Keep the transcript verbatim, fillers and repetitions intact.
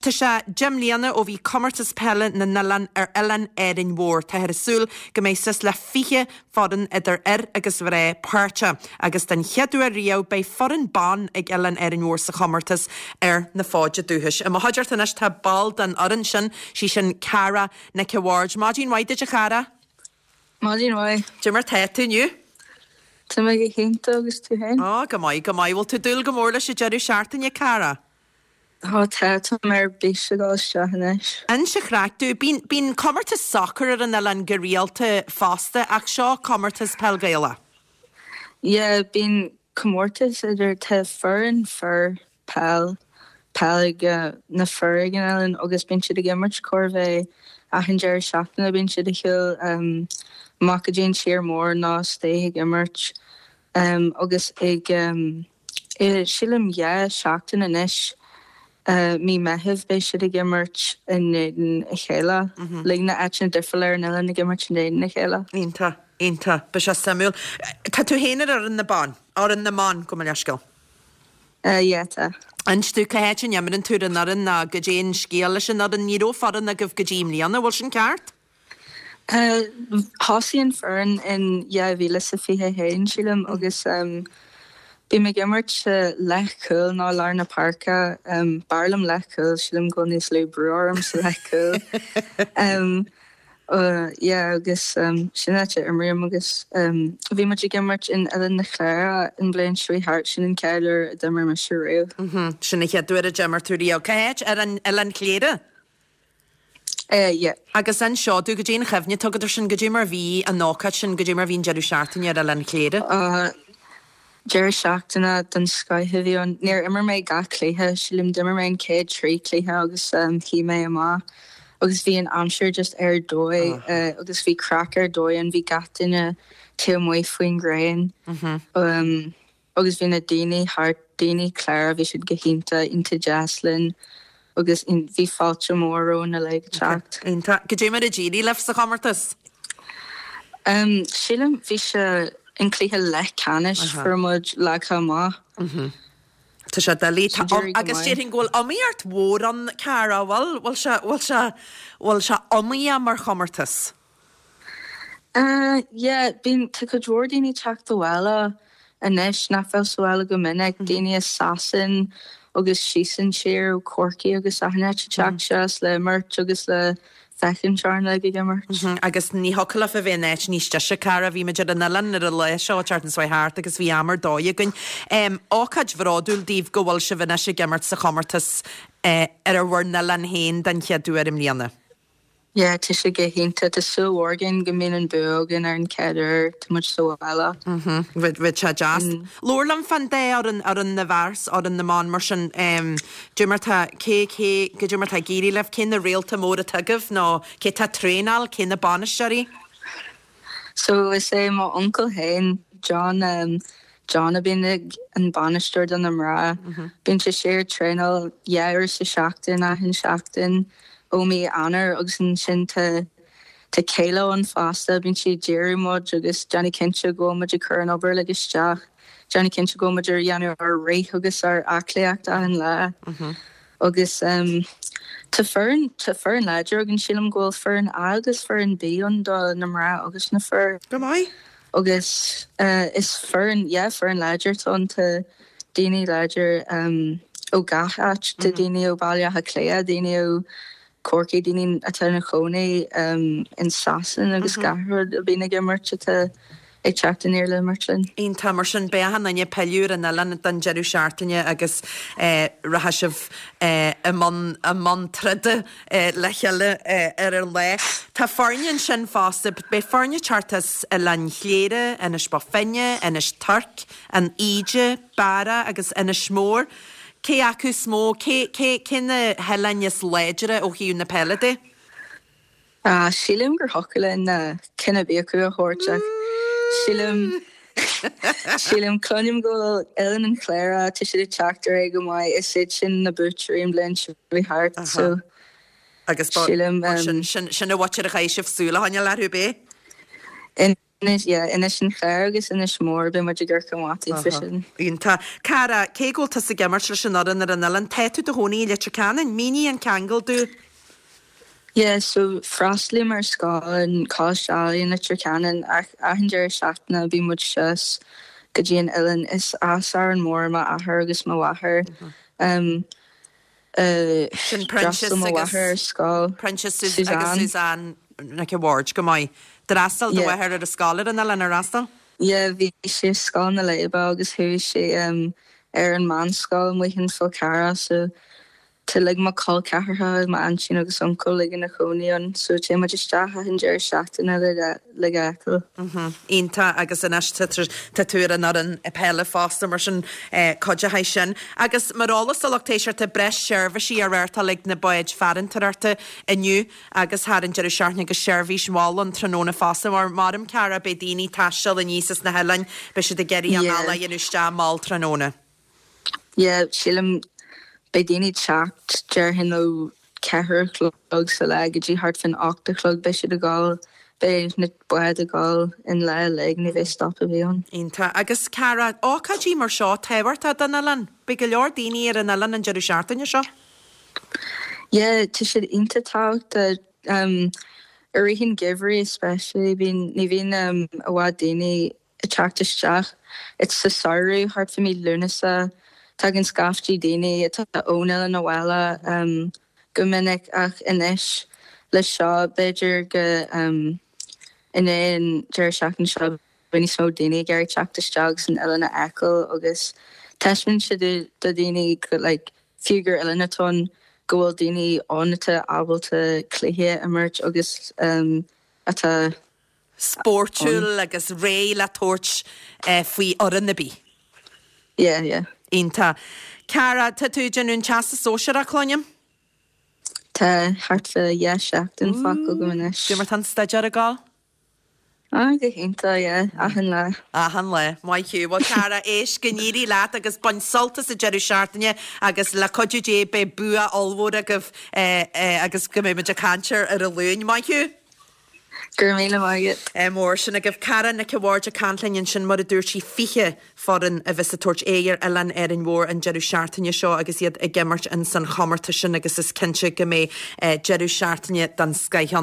Tá sé deich mbliana ó bhí comórtas peile na n-oileán ar oileán Árainn Mhór. Táthar ag súil go mbeidh suas le fiche foireann idir fhir agus mhná páirteach agus den chéad uair riamh beidh foireann ban ag oileán Árainn Mhór sa chomórtas ar na fóide dúchais. I mo chuideachta anois tá ball den fhoireann sin sí sin Cara Nic a' Bhaird. Maidin mhaith duit a Chara? Maidin mhaith. Cad é mar tá tú inniu? Tá mé go hiontach agus tú féin? Á go maith go maith bhfuil tú ag dúil go mór leis an deireadh seachtaine Cara. Tá tá mé ar bís ag dul isteach anois. Inis an chraic domh bíonn bíonn comórtas sacair ar an oileán go rialta fosta ach seo comórtas peil Gaelach. Yeah, bíonn comórtas idir tá foireann fir peil peil ag uh, na fir ag an oileán agus bíonn siad ag imirt chóir a bheith achan deireadh seachtaine bíonn siad ag siúl um, amach go dtí an tír mór ná stay ag imirt um, agus ag um, i sílim dhá seachtain anois uh, mí Mheithimh beidh siad ag imirt in éadan a chéile le na áiteanna difriúla ar an oileán ag imirt in éadan a chéile. Iontach iontach beidh sé suimiúil. Tá tú féin ar fhoireann na ban, fhoireann na mban gabh mo leithscéal. Uh, yeah, tá. Inis domh cá háit a n-imríonn tú ar an fhoireann ná cad é an scéal leis an fhoireann ní raibh foireann agaibh go dtí i mbliana bhfuil sin ceart? Uh, Thosaigh an foireann in dhá mhíle sa fiche haon sílim agus um, Bím ag imirt uh, leathchúl ná lár na páirce um, b'fhearr liom leathchúl sílim go níos lú brú orm sa leathchúl. um, uh, yeah, agus um, sin áit a imrím agus um, bhí muid ag imirt in Oileán na Cléire an bhliain seo thart sin an chéad uair a d'imir mise riamh. Mhm, Sin an chéad uair a d'imir tú riamh. Cá háit ar an Oileán Chléire? Uh, yeah. Agus inis domh cad é an chuimhne atá agat air sin cad é mar bhí an ócáid sin cad é mar bhí an deireadh seachtaine ar Oileán Chléire. Uh, Deireadh seachtaine den scoth a bhí ann níor imir mé gach cluiche sílim d'imir mé an chéad trí chluiche agus um, shuigh mé amach agus bhí an aimsir just ar dóigh uh, agus bhí craic ar dóigh an bhí gach duine taobh amuigh faoin ghréin um, agus bhí na daoine thart daoine Chléire bhí siad go hiontach iontach deas linn agus bhí fáilte mór romhainn le teacht. Iontach cad é mar a d'éirigh libh sa chomórtas? Um, sílim bhí sé an cluiche leathcheannais fuair muid leagtha amach. Tá sé doiligh agus déarfainn go bhfuil iomaíocht mhór ann Cara bhfuil bhfuil sé bhfuil sé bhfuil sé iomaíoch mar chomórtas. Uh, yeah, bíonn tá cuid mhór daoine teacht abhaile anois nach bhfuil sa bhaile go minic daoine i Sasain agus síos an tír ó Corcaigh agus achan áit teacht síos le imirt agus le féachaint orainn ag imirt. Agus ní thiocfadh libh a bheith in áit níos deise Cara bhí muid ar an oileán ar an lá seo teart an thart agus bhí am ar dóigh againn. Um, ócáid bhródúil daoibh go bhfuil sibh anois ag imirt sa chomórtas uh, ar bhur n-oileán féin den chéad uair i mbliana. Yeah, tá sé go hiontach tá súil mhór againn go mbíonn an bua againn ar an chéad uair tá muid sa bhaile. Bhí sé deas. Labhair liom fán dá fhoireann fhoireann na bhfear 's fhoireann na mban mar sin cad é mar tá cé cé cad é mar tá ag éirí libh cé na réalta móra atá agaibh nó cé tá traenáil cé na bainisteoirí? So is é mo uncail féin John um, John a bhíonn ag an bainisteoir do na mná. Bíonn sé sé traenáil dhá uair sa seachtain achan seachtain ó mí Eanáir agus ansin tá tá céile an fosta bíonn sí díriú muid agus déanamh cinnte go muid ag cur an obair le isteach, déanamh cinnte go muid ar dhéanamh ar rith agus ar aclaíocht achan lá. Agus um, Tá foireann tá foireann láidir againn sílim go bhfuil foireann A agus foireann B ann do na mná agus na fir. Go maith? Agus uh, is foireann yeah, foireann láidir tá tá daoine láidir um, ó gach áit tá daoine ó Baile Átha Cliath, daoine ó Corcaigh daoine atá ina gcónaí um, in Sasain agus gach rud a bhíonn ag imirt atá ag teacht aniar le imirt linn. Iontach mar sin beidh an duine peiliúr an oileán don deireadh seachtaine agus eh, rachaidh sibh eh, i mbun i mbun troda eh, le chéile eh, ar an lá. Tá foirne ansin fosta, beidh foirne teacht as Oileán Chléire, Inis Bó Finne, Inis Toirc, an Fhaoide, Barra agus Inis Mór. Cé acu is mó cé cé cé na hoileáin is láidre ó thaobh na peile de? Uh, sílim gur thiocfadh linn na ceann ar bith acu a thabhairt ach sílim sílim cluinim go bhfuil Oileán an Chléire tá siad ag teacht ar aghaidh go maith is iad sin na buaiteoirí an bhliain seo bhí thart so Agus sílim sin sin sin a bhhair a chaith sibh súil a choinneáil orthu bé? in Inis yeah, Inis an Chléir agus Inis Mór beidh muid ag Amharc an Bhataigh freisin. Iontach. Cara, cé go bhfuil tusa ag imirt leis an fhoireann ar an oileán, tá tú i do chónaí i Leitir Ceanainn, mínigh an ceangal dúinn. Yeah, so freastalaím ar scoil in Coláiste Ealaíon Leitir Ceanainn ach achan deireadh seachtaine bíonn muid suas go dtí an oileán is as Árainn Mhór m'athair agus mo mháthair. Um, uh, Sin Proinsias d'fhreastail mo agus mháthair ar scoil. Proinsias agus Suzanne Nic an Bhaird go maith. D'fhreastail do Yeah. mháthair ar a scoil ar an oileán ar fhreastail? Yeah, bhí sé Scoil na Léibe agus chuaigh sé um, ar an meánscoil amuigh in Fál Carrach so tá like mo chol ceathracha m'aintín agus uncail like ina chónaí ann so téann muid isteach an deireadh seachtaine le le feiceáil. Iontach agus anois tá tú ar an fhoireann peile fosta mar sin cuideoidh sin. Agus mar eolas do lucht éisteachta breis seirbhísí á reáchtáil ag na báid farantóireachta inniu agus thar an deireadh seachtaine agus seirbhís mhall an tráthnóna fosta mar maram cara beidh daoine ag taisteal aníos as na hoileáin beidh siad ag iarraidh an Yeah. ala dhéanamh mall tráthnóna. Yeah, sílim beidh daoine teacht déarfainn ó ceathair a chlog sa lá go dtí thart fán ocht a chlog beidh siad ag dul beidh na báid ag dul an lá uilig ní bheidh stop ar bith ann. Iontach agus cara ócáidí mar seo tábhachtach don oileán, Beidh go leor daoine ar an oileán an deireadh seachtaine seo. Yeah, tá siad iontach tábhachtach um, i rith an gheimhridh especially bíonn ní bhíonn um, i bhfad daoine ag teacht isteach. It's sa samhradh thart fá mí Lúnasa tagann scaifte daoine atá ón oileán abhaile um, go minic ach anois le seo b'fhéidir go um, in aon deireadh seachtaine seo beidh níos mó daoine ag iarraidh teacht isteach san oileán a fheiceáil agus taispeánann sé do do daoine go like, fiú gur oileán atá ann go bhfuil daoine ann atá ábalta cluiche a imirt agus um, atá Spórtúil agus réidh le tabhairt eh, faoi fhoireann ar bith. yeah, yeah. Iontach. Cara tá tú ag déanamh an teastas sóisearach cluinim? Tá thart fá dhá seachtain fágtha agam anois. Cad é mar tá an staidéar ag gabháil? Ah, go hiontach yeah, achan lá. Achan lá Maith thú Well cara éist go n-éirí leat agus bain sult as an deireadh seachtaine agus le cuidiú Dé beidh bua ollmhór agaibh eh, eh, agus go mbeidh muid ag caint ar an Luan maith thú. Gur míle maith. Eh, mór sin agaibh Cara Nic an Bhaird ag caint linn ansin mar a dúirt sí fiche foireann a bheas ag tabhairt aghaidh ar oileán Árainn Mhór an deireadh seachtaine seo agus iad ag imirt in san chomórtas sin agus is cinnte go mbeidh eh, deireadh seachtaine den scoth ann.